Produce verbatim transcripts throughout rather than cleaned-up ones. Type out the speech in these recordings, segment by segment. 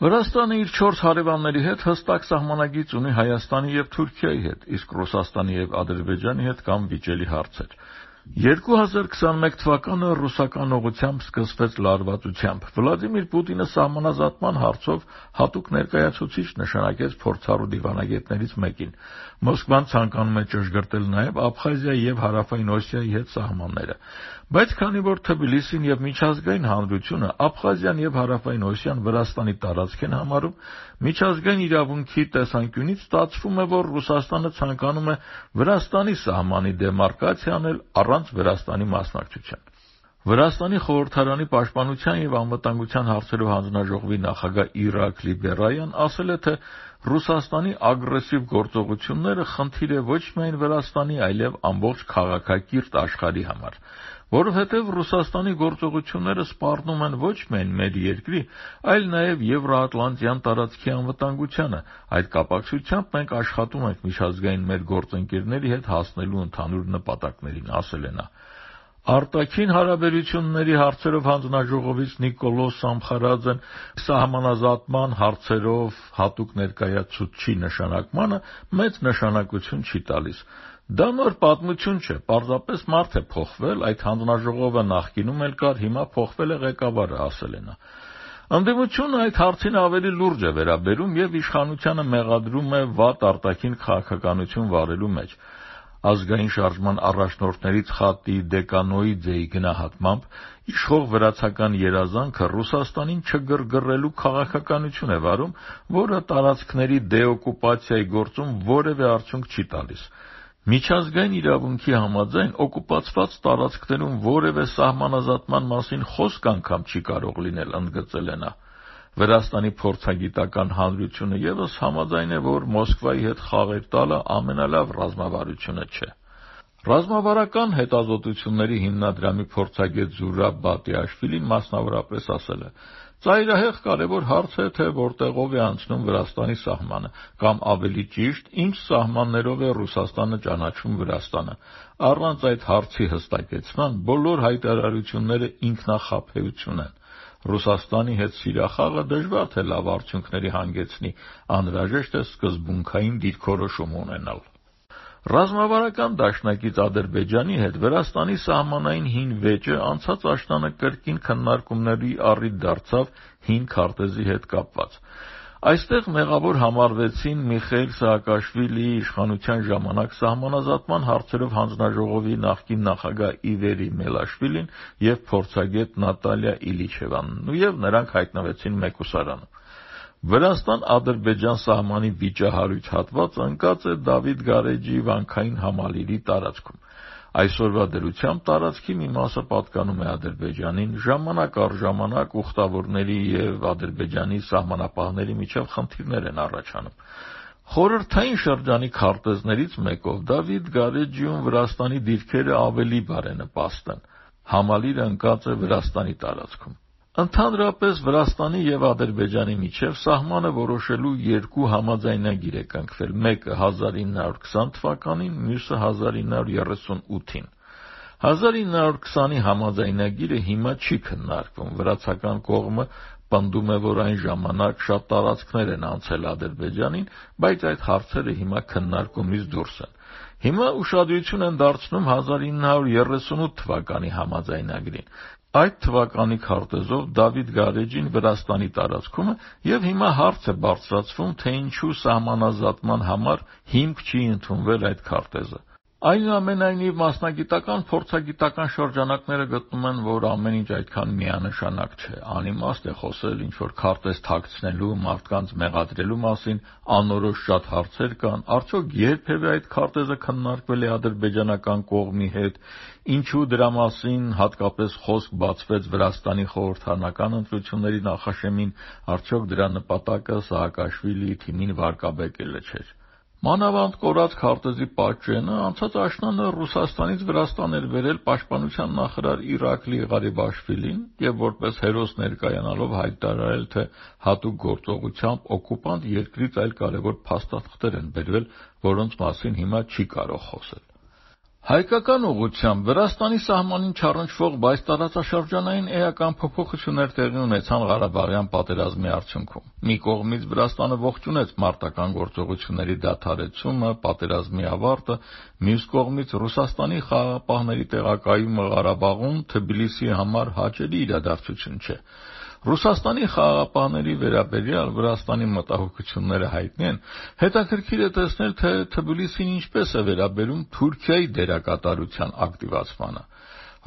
Վրաստանը իր չորս հարևանների հետ հստակ սահմանագիծ ունի Հայաստանի եւ Թուրքիայի հետ, իսկ Ռուսաստանի եւ Ադրբեջանի հետ կան վիճելի հարցեր։ երկու հազար քսաներկու թվականը ռուսական ուղղությամբ սկսվեց լարվածությամբ։ Վլադիմիր Պուտինը սահմանազատման հարցով հատուկ ներկայացուցիչ նշանակեց փորձառու դիվանագետներից մեկին։ Մոսկվան ցանկանում է ճշգրտել նաև Աբխազիայի եւ Հարավային Օսիայի հետ սահմանները։ Բայց քանի որ Թբիլիսին եւ միջազգային հանրությունը Աբխազիան եւ Հարավային Օսիան Վրաստանի տարածք են համարում, միջազգային իրավունքի տեսանկյունից ստացվում է, որ Ռուսաստանը ցանկանում է Վրաստանի սահմանի դեմարկացիա անել առանց Վրաստանի մասնակցության։ Վրաստանի խորհրդարանի պաշտպանության եւ անվտանգության հարցերով հանձնաժողովի նախագահ Իրակլի Բերայան ասել է, թե Ռուսաստանի ագրեսիվ գործողությունները խնդիր է ոչ միայն Վրաստանի, այլև ամբողջ քաղաքակիրթ աշխարհի համար, որովհետև Ռուսաստանի գործողությունները սպառնում են ոչ միայն մեր երկրի, այլ նաև Եվրոատլանտյան տարածքի անվտանգությանը։ Այդ կապակցությամբ մենք աշխատում ենք միջազգային մեր գործընկերների հետ հասնելու ընդհանուր նպատակներին, ասել է նա։ Արտաքին հարաբերությունների հարցերով հանձնաժողովից Նիկոլո Սամխարաձեն սահմանազատման հարցերով հատուկ ներկայացուցչի նշանակմանը մեծ նշանակություն չի տալիս։ Դա նոր պատմություն չէ, պարզապես մարդ է փոխվել, այդ հանձնաժողովը նախկինում էլ կար, հիմա փոխվել է ղեկավարը, ասել է նա։ Ընդդիմությունը այդ հարցին ավելի լուրջ է վերաբերում եւ իշխանությանը մեղադրում է վատ արտաքին քաղաքականություն վարելու մեջ։ Ազգային շարժման առաջնորդներից Խատի Դեկանոիձեի գնահատմամբ իշխող վրացական երազանքը Ռուսաստանին չգրգռելու քաղաքականություն է վարում, որը տարածքների դեօկուպացիայի գործում որևէ արդյունք չի տալիս։ Միջազգային իրավունքի համաձայն օկուպացված տարածքներում որևէ սահմանազատման մասին խոսք անգամ չի կարող լինել, ընդգծել է նա։ Վրաստանի փորձագիտական հանրությունը եւս համաձայն է, որ Մոսկվայի հետ խաղեր տալը ամենալավ ռազմավարությունը չէ։ Ռազմավարական հետազոտությունների հիմնադրամի փորձագետ Զուրաբ Բատիաշվիլին մասնավորապես ասել է. «Ծայրահեղ կարևոր հարց է, թե որտեղով է անցնում Վրաստանի սահմանը, կամ ավելի ճիշտ, ինչ սահմաններով է Ռուսաստանը ճանաչում Վրաստանը։ Առանց այդ հարցի հստակեցման բոլոր հայտարարությունները ինքնախաբեություն են։ Ռուսաստանի հետ սիրախաղը դժվար թե լավ արդյունքների հանգեցնի, անհրաժեշտ է սկզբունքային դիրքորոշում ունենալ»։ Ռազմավարական դաշնակից Ադրբեջանի հետ Վրաստանի սահմանային հին վեճը անցած աշնանը կրկին քննարկումների առիթ դարձավ հին քարտեզի հետ կապված։ Այստեղ մեղավոր համարվեցին Միխայիլ Սաակաշվիլիի իշխանության ժամանակ սահմանազատման հարցերով հանձնաժողովի նախկին նախագահ Իվերի Մելաշվիլին եւ փորձագետ Նատալիա Իլիչևանն, եւ նրանք հայտնվեցին մեկուսարանում։ Վրաստան-Ադրբեջան սահմանի վիճահարույց հատվածը ընկած է Դավիթ Գարեջի վանքային համալիրի տարածքում։ Այսօրվա դրությամբ տարածքի մի մասը պատկանում է Ադրբեջանին, ժամանակ առ ժամանակ ուխտավորների եւ Ադրբեջանի սահմանապահների միջև խնդիրներ են առաջանում։ Խորհրդային շրջանի քարտեզներից մեկով Դավիթ Գարեջիում Վրաստանի դիրքերը ավելի բարենպաստ են։ Համալիրը ընկած է Վրաստանի տարածքում։ Ընդհանրապես Վրաստանի եւ Ադրբեջանի միջև սահմանը որոշելու երկու համաձայնագիր է կնքվել, մեկը հազար ինը հարյուր քսան թվականին, մյուսը հազար ինը հարյուր երեսուն ութին։ հազար ինը հարյուր քսանի համաձայնագիրը հիմա չի քննարկվում։ Վրացական կողմը պնդում է, որ այն ժամանակ շատ տարածքներ են անցել Ադրբեջանին, բայց այդ հարցերը հիմա քննարկումից դուրս են։ Հիմա ուշադրություն են դարձնում հազար ինը հարյուր երեսունութ թվականի համաձայնագրին։ Այդ թվականի քարտեզով Դավիթ Գարեջին Վրաստանի տարածքում է եւ հիմա հարց է բարձրացվում, թե ինչու սահմանազատման համար հիմք չի ընդունվել այդ քարտեզը։ Այնուամենայնիվ մասնագիտական փորձագիտական շրջանակները գտնում են, որ ամեն ինչ այդքան միանշանակ չէ։ Անիմաստ է խոսել ինչ-որ քարտեզ թաքցնելու, մարդկանց մեղադրելու մասին, անորոշ շատ հարցեր կան։ Արդյոք երբևէ այդ քարտեզը քննարկվել է ադրբեջանական կողմի հետ, ինչու դրա մասին հատկապես խոսք բացվեց Վրաստանի խորհրդարանական ընտրությունների նախաշեմին, արդյոք դրա նպատակը Սաակաշվիլիի թիմին վարկաբեկելը չէր։ Մանավանդ կորած քարտեզի պատճենը անցած աշնանը Ռուսաստանից Վրաստան էր բերել պաշտպանության նախարար Իրակլի Ղարիբաշվիլին եւ որպես հերոս ներկայանալով հայտարարել, թե հատուկ գործողությամբ օկուպանտ երկրից այլ կարևոր փաստաթղթեր են բերվել, որոնց մասին հիմա չի կարող խոսել։ Հայկական ուղղությամբ Վրաստանի սահմանին չառնչվող, բայց տարածաշրջանային էական փոփոխություններ տեղի ունեցան Ղարաբաղյան պատերազմի արդյունքում։ Մի կողմից Վրաստանը ողջունեց մարտական գործողությունների դադարեցումը, պատերազմի ավարտը, մյուս կողմից Ռուսաստանի խաղաղապահների տեղակայումը Ղարաբաղում Թբիլիսիի համար հաճելի իրադարձություն չէ։ Ռուսաստանի խաղաղապահների վերաբերյալ Վրաստանի մտահոգությունները հայտնի են, հետաքրքիր է տեսնել, թե Թբիլիսին ինչպես է վերաբերում Թուրքիայի դերակատարության ակտիվացմանը։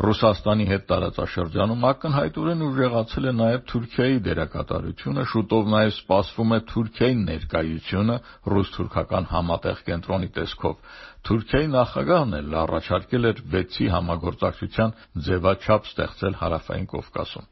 Ռուսաստանի հետ տարածաշրջանում ակնհայտորեն ուժեղացել է նաև Թուրքիայի դերակատարությունը, շուտով նաև սպասվում է Թուրքիայի ներկայությունը ռուս-թուրքական համատեղ կենտրոնի տեսքով։ Թուրքիայի նախագահն էլ առաջարկել էր վեցի համագործակցության ձևաչափ ստեղծել Հարավային Կովկասում։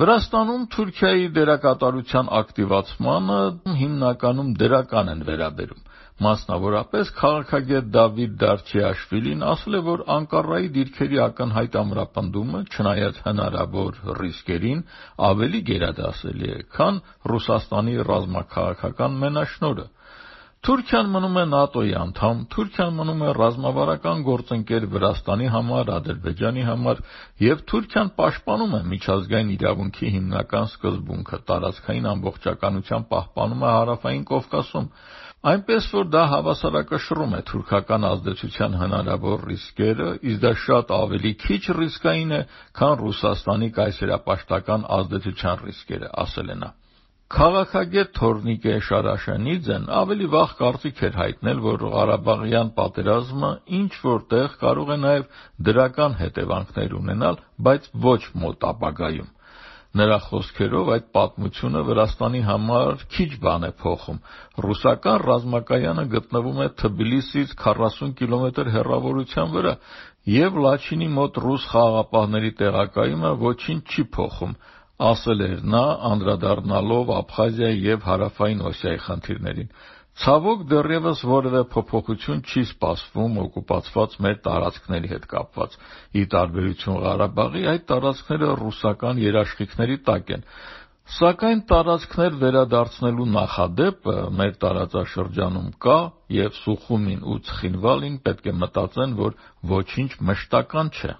Վրաստանում Թուրքիայի դերակատարության ակտիվացմանը հիմնականում դրական են վերաբերում։ Մասնավորապես քաղաքագետ Դավիթ Դարչիաշվիլին ասել է, որ Անկարայի դիրքերի ակնհայտ ամրապնդումը, չնայած հնարավոր ռիսկերին, ավելի գերադասելի է, քան Ռուսաստանի ռազմաքաղաքական մենաշնորհը։ Թուրքիան մնում է ՆԱՏՕ-ի անդամ, Թուրքիան մնում է ռազմավարական գործընկեր Վրաստանի համար, Ադրբեջանի համար, եւ Թուրքիան պաշտպանում է միջազգային իրավունքի հիմնական սկզբունքը՝ տարածքային ամբողջականության պահպանումը Հարավային Կովկասում, այնպես որ դա հավասարակշռում է թուրքական ազդեցության հնարավոր ռիսկերը, իսկ դա շատ ավելի քիչ ռիսկային է, քան Ռուսաստանի կայսերապաշտական ազդեցության ռիսկերը, ասել է նա։ Քաղաքագետ Թորնիկե Շարաշանիձեն ավելի վաղ կարծիք էր հայտնել, որ Ղարաբաղյան պատերազմը ինչ-որ տեղ կարող է նաև դրական հետևանքներ ունենալ, բայց ոչ մոտ ապագայում։ Նրա խոսքերով այդ պատմությունը Վրաստանի համար քիչ բան է փոխում։ Ռուսական ռազմակայանը գտնվում է Թբիլիսիից քառասուն կիլոմետր հեռավորության վրա, եւ Լաչինի մոտ ռուս խաղաղապահների տեղակայումը ոչինչ չի փոխում, ասել էր նա, անդրադառնալով Աբխազիայի եւ Հարավային Օսիայի խնդիրներին։ Ցավոք դեռևս որևէ փոփոխություն չի սպասվում օկուպացված մեր տարածքների հետ կապված։ Ի տարբերություն Ղարաբաղի, այդ տարածքները ռուսական երաշխիքների տակ են։ Սակայն տարածքներ վերադարձնելու նախադեպը մեր տարածաշրջանում կա, եւ Սուխումին ու Ցխինվալին պետք է մտածեն, որ ոչինչ մշտական չէ։